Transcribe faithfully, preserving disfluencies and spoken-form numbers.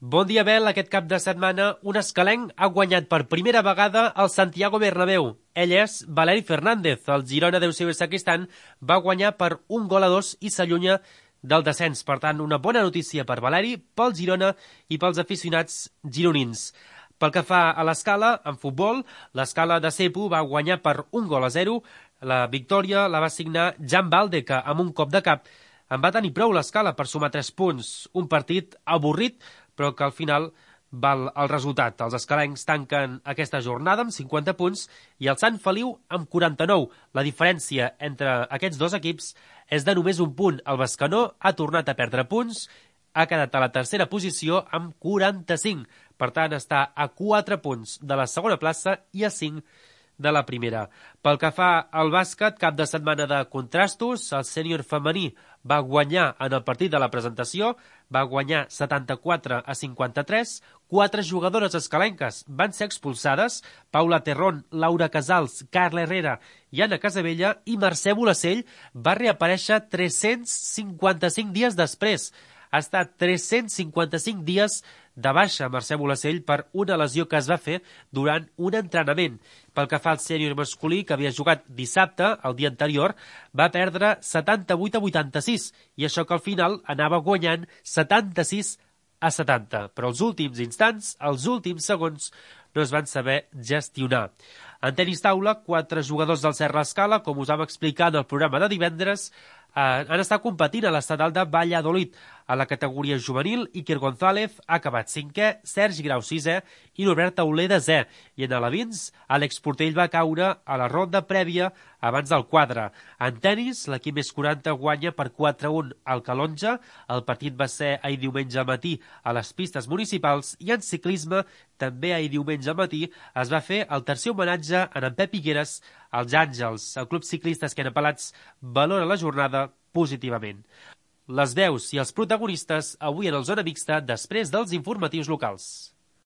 Bon dia, Bel. Aquest cap de setmana, un escalenc ha guanyat per primera vegada al Santiago Bernabéu. Ell és Valeri Fernández. El Girona d'Eusebio Sacristán va guanyar per un gol a dos i s'allunya del descens. Per tant, una bona notícia per Valeri, pel Girona i pels aficionats gironins. Pel que fa a l'escala, en futbol, l'escala de Cepu va guanyar per un gol a zero. La victòria la va signar Jan Balde, que amb un cop de cap en va tenir prou l'escala per sumar tres punts. Un partit avorrit, però que al final val el resultat. Els escalencs tanquen aquesta jornada amb cinquanta punts i el Sant Feliu amb quaranta-nou. La diferència entre aquests dos equips és de només un punt. El Bescanó ha tornat a perdre punts, ha quedat a la tercera posició amb quaranta-cinc. Per tant, està a quatre punts de la segona plaça i a cinc de la primera. Pel que fa al bàsquet, cap de setmana de contrastos, el sènior femení va guanyar en el partit de la presentació, va guanyar setanta-quatre a cinquanta-tres, quatre jugadores escalenques van ser expulsades, Paula Terrón, Laura Casals, Carla Herrera i Anna Casabella, i Mercè Bolacell va reaparèixer tres-cents cinquanta-cinc dies després. Ha estat tres-cents cinquanta-cinc dies de baixa Mercè Bolacell per una lesió que es va fer durant un entrenament. Pel que fa al sènior masculí, que havia jugat dissabte, el dia anterior, va perdre setanta-vuit a vuitanta-sis, i això que al final anava guanyant setanta-sis a setanta. Però els últims instants, els últims segons, no es van saber gestionar. En tenis taula, quatre jugadors del Serra Escala, com us vam explicar en el programa de divendres, eh, han estat competint a l'estadal de Valladolid. A la categoria juvenil, Iker González ha acabat cinquè, Sergi Grau sisè i Norbert Tauler desè. I en alevins, Àlex Portell va caure a la ronda prèvia abans del quadre. En tenis, l'equip més quaranta guanya per quatre a un al Calonja. El partit va ser ahir diumenge al matí a les pistes municipals, i en ciclisme, també ahir diumenge al matí, es va fer el tercer homenatge a en Pep Higueras als Àngels. El club ciclista Esquenapalats valora la jornada positivament. Les veus i els protagonistes avui en el Zona Mixta després dels informatius locals.